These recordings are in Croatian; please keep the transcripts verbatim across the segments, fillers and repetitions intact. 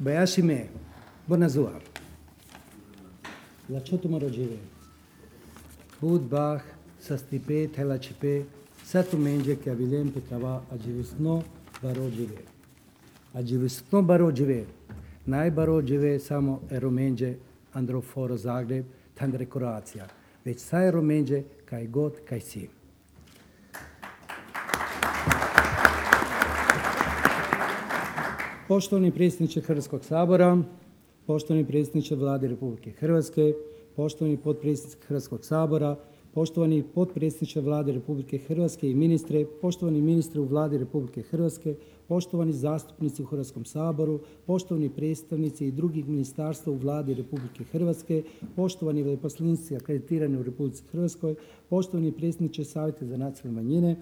Bayashime, Bonazua. La Chotomorojive. Bud Bach, Sastipe, Telachipe, Satumenge, Kavilem, Petava, Ajivisno, Barojive. Ajivisno Barojive. Najbarođive samo eromenđe Androforo Zagreb, tandre Kroacija. Već sa eromenđe kaj god kaj si. Poštovani predsjedniče Hrvatskog sabora, poštovani predsjedniče Vlade Republike Hrvatske, poštovani potpredsjedniče Hrvatskog sabora, poštovani potpredsjedniče Vlade Republike Hrvatske i ministre, poštovani ministre u Vladi Republike Hrvatske, poštovani zastupnici u Hrvatskom saboru, poštovani predstavnici i drugih ministarstva u Vladi Republike Hrvatske, poštovani veleposlanici akreditirani u Republici Hrvatskoj, poštovani predsjedniče Savjeta za nacionalne manjine,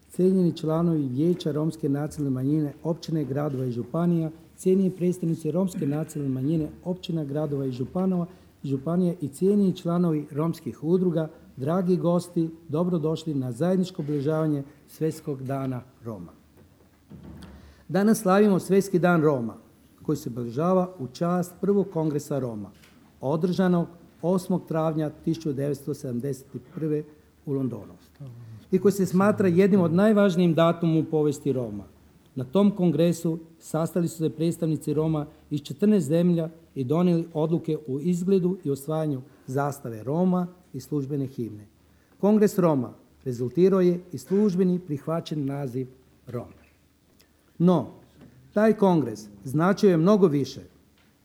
cijenjeni članovi Vijeća Romske nacionalne manjine općine, gradova i županija, cijenjeni predstavnici Romske nacionalne manjine općina, gradova i županova, županije i cijenjeni članovi romskih udruga, dragi gosti, dobrodošli na zajedničko obilježavanje Svjetskog dana Roma. Danas slavimo Svjetski dan Roma, koji se obilježava u čast prvog kongresa Roma, održanog osmog travnja tisuću devetsto sedamdeset prve. u Londonu i koji se smatra jednim od najvažnijim datumom u povijesti Roma. Na tom kongresu sastali su se predstavnici Roma iz četrnaest zemlja i donijeli odluke o izgledu i osvajanju zastave Roma i službene himne. Kongres Roma rezultirao je i službeni prihvaćen naziv Roma. No, taj kongres značio je mnogo više.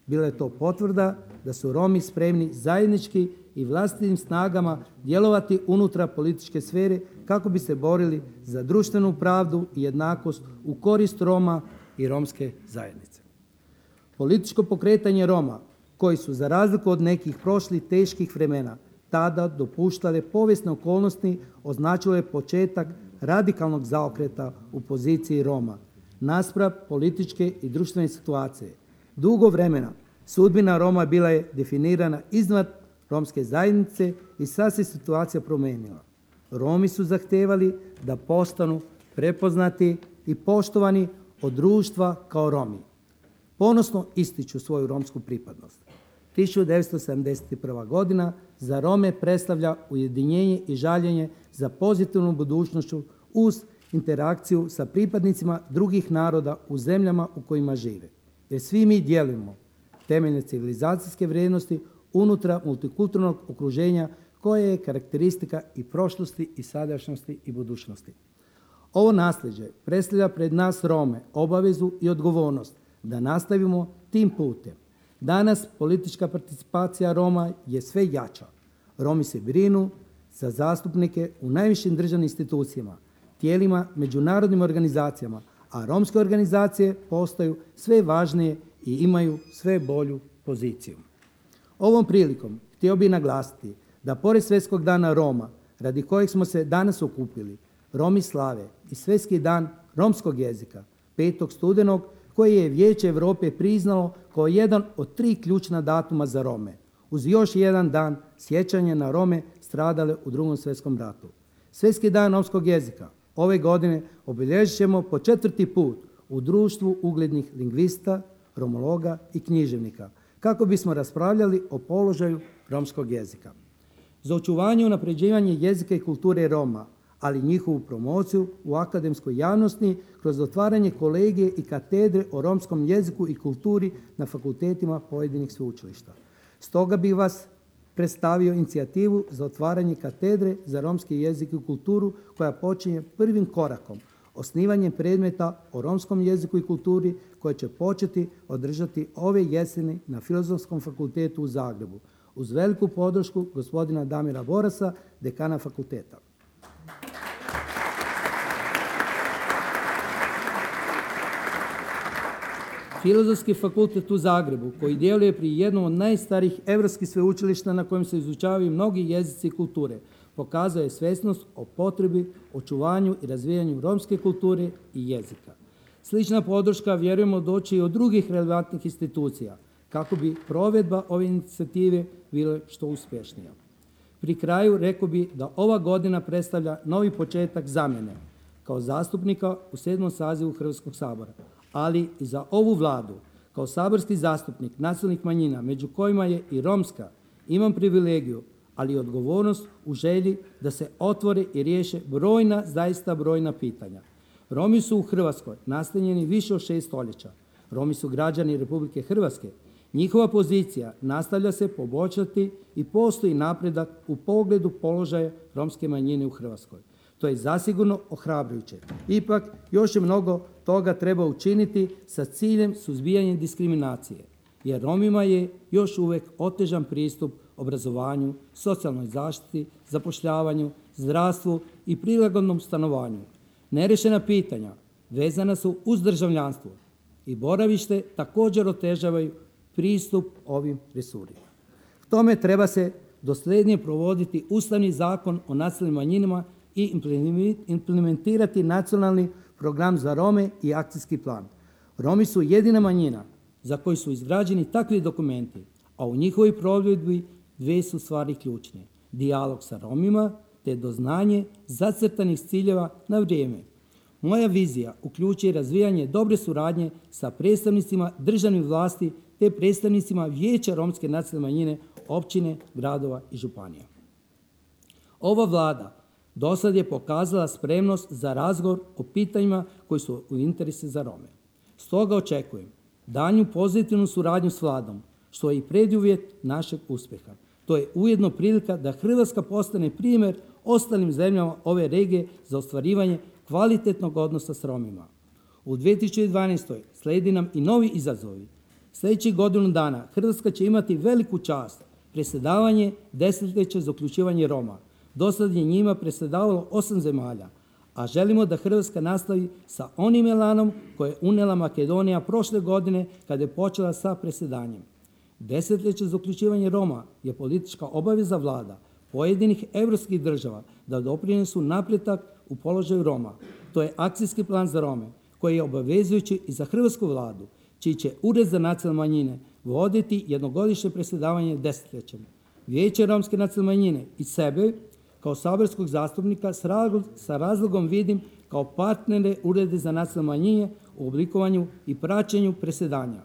Bila je to potvrda da su Romi spremni zajednički i vlastitim snagama djelovati unutar političke sfere kako bi se borili za društvenu pravdu i jednakost u korist Roma i romske zajednice. Političko pokretanje Roma, koji su za razliku od nekih prošlih teških vremena tada dopuštale povijesne okolnosti, označilo je početak radikalnog zaokreta u poziciji Roma naspram političke i društvene situacije. Dugo vremena sudbina Roma bila je definirana iznad romske zajednice i sad se situacija promijenila. Romi su zahtevali da postanu prepoznati i poštovani od društva kao Romi. Ponosno ističu svoju romsku pripadnost. tisuću devetsto sedamdeset prva. godina za Rome predstavlja ujedinjenje i žaljenje za pozitivnu budućnošću uz interakciju sa pripadnicima drugih naroda u zemljama u kojima žive. Jer svi mi dijelimo temeljne civilizacijske vrijednosti unutar multikulturnog okruženja koje je karakteristika i prošlosti i sadašnjosti i budućnosti. Ovo nasljeđe predstavlja pred nas Rome obavezu i odgovornost da nastavimo tim putem. Danas politička participacija Roma je sve jača. Romi se brinu za zastupnike u najvišim državnim institucijama, tijelima, međunarodnim organizacijama, a romske organizacije postaju sve važnije i imaju sve bolju poziciju. Ovom prilikom htio bih naglasiti da pored Svjetskog dana Roma, radi kojeg smo se danas okupili, Romi slave i Svjetski dan romskog jezika, petog studenog, koji je Vijeće Europe priznalo kao jedan od tri ključna datuma za Rome, uz još jedan dan sjećanja na Rome stradale u Drugom svjetskom ratu. Svjetski dan romskog jezika ove godine obilježit ćemo po četvrti put u društvu uglednih lingvista, romologa i književnika, kako bismo raspravljali o položaju romskog jezika. Za očuvanje i unapređivanje jezika i kulture Roma, ali i njihovu promociju u akademskoj javnosti kroz otvaranje kolegije i katedre o romskom jeziku i kulturi na fakultetima pojedinih sveučilišta. Stoga bih vas predstavio inicijativu za otvaranje katedre za romski jezik i kulturu koja počinje prvim korakom, osnivanjem predmeta o romskom jeziku i kulturi koje će početi održati ove jeseni na Filozofskom fakultetu u Zagrebu, uz veliku podršku gospodina Damira Borasa, dekana fakulteta. Filozofski fakultet u Zagrebu, koji djeluje pri jednom od najstarijih europskih sveučilišta na kojem se izučavaju mnogi jezici i kulture, pokazuje svjesnost o potrebi, očuvanju i razvijanju romske kulture i jezika. Slična podrška vjerujemo doći i od drugih relevantnih institucija, kako bi provedba ove inicijative bila što uspješnija. Pri kraju rekao bi da ova godina predstavlja novi početak za mene kao zastupnika u sedmom sazivu Hrvatskog sabora, ali i za ovu Vladu Kao saborski zastupnik nacionalnih manjina, među kojima je i romska, imam privilegiju, ali i odgovornost u želji da se otvore i riješe brojna, zaista brojna pitanja. Romi su u Hrvatskoj nastanjeni više od šest stoljeća. Romi su građani Republike Hrvatske. Njihova pozicija nastavlja se poboljšati i postoji napredak u pogledu položaja romske manjine u Hrvatskoj. To je zasigurno ohrabrujuće. Ipak, još je mnogo toga treba učiniti sa ciljem suzbijanja diskriminacije, jer Romima je još uvijek otežan pristup obrazovanju, socijalnoj zaštiti, zapošljavanju, zdravstvu i prilagodnom stanovanju. Nerešena pitanja vezana su uz državljanstvo i boravište također otežavaju pristup ovim resursima. K tome treba se dosljednije provoditi Ustavni zakon o nacionalnim manjinama i implementirati nacionalni program za Rome i akcijski plan. Romi su jedina manjina za koju su izgrađeni takvi dokumenti, a u njihovoj provedbi dvije su stvari ključne. Dijalog sa Romima te doznanje zacrtanih ciljeva na vrijeme. Moja vizija uključuje razvijanje dobre suradnje sa predstavnicima državnih vlasti te predstavnicima Vijeća romske nacionalne manjine, općine, gradova i županija. Ova Vlada dosad je pokazala spremnost za razgovor o pitanjima koji su u interesu za Rome. Stoga očekujem daljnju pozitivnu suradnju s Vladom, što je i preduvjet našeg uspjeha. To je ujedno prilika da Hrvatska postane primjer ostalim zemljama ove regije za ostvarivanje kvalitetnog odnosa s Romima. U dvije tisuće dvanaestoj. slijedi nam i novi izazovi. Sljedećih godinu dana Hrvatska će imati veliku čast predsjedavanje desetljeća za uključivanje Roma. Do sad je njima predsjedavalo osam zemalja, a želimo da Hrvatska nastavi sa onim elanom koje je unijela Makedonija prošle godine kada je počela sa predsjedanjem. Desetljeće za uključivanje Roma je politička obaveza vlada pojedinih europskih država da doprinesu napredak u položaju Roma. To je akcijski plan za Rome koji je obavezujući i za hrvatsku vladu, čiji će Ured za nacionalne manjine voditi jednogodišnje predsjedavanje desetljećem. Vijeće romske nacionalne manjine i sebe kao saborskog zastupnika sa razlogom vidim kao partnere Urede za nacionalne manjine u oblikovanju i praćenju predsjedanja,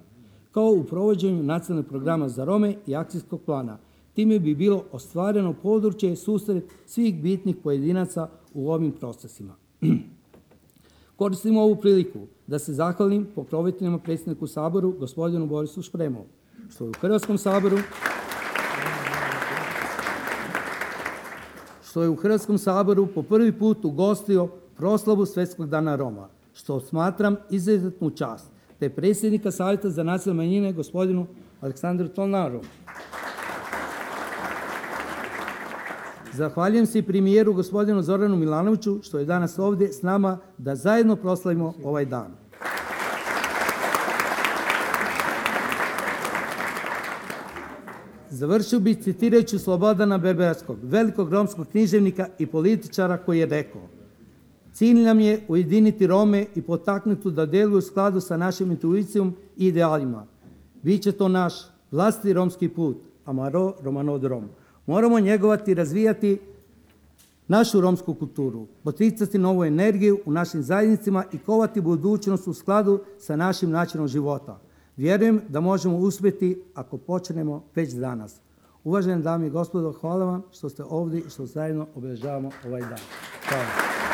kao u provođenju nacionalnog programa za Rome i akcijskog plana. Time bi bilo ostvareno područje susret svih bitnih pojedinaca u ovim procesima. Koristim ovu priliku da se zahvalim pokroviteljima predsjedniku Saboru, gospodinu Borisu Špremu, što je u Hrvatskom saboru što je u Hrvatskom saboru po prvi put ugostio proslavu Svjetskog dana Roma, što smatram izuzetnu čast, te predsjednika Savjeta za nacionalne manjine, gospodinu Aleksandru Tolnaru. Zahvaljujem se i premijeru gospodinu Zoranu Milanoviću što je danas ovdje s nama da zajedno proslavimo ovaj dan. Završio bih citirajući Slobodana Berberskog, velikog romskog književnika i političara, koji je rekao: cilj nam je ujediniti Rome i potaknuti da djeluju u skladu sa našim intuicijom i idealima. Biće to naš vlastiti romski put, amaro romano od Rom. Moramo njegovati i razvijati našu romsku kulturu, poticati novu energiju u našim zajednicama i kovati budućnost u skladu sa našim načinom života. Vjerujem da možemo uspjeti ako počnemo već danas. Uvažene dame i gospodo, hvala vam što ste ovdje i što zajedno obilježavamo ovaj dan. Hvala.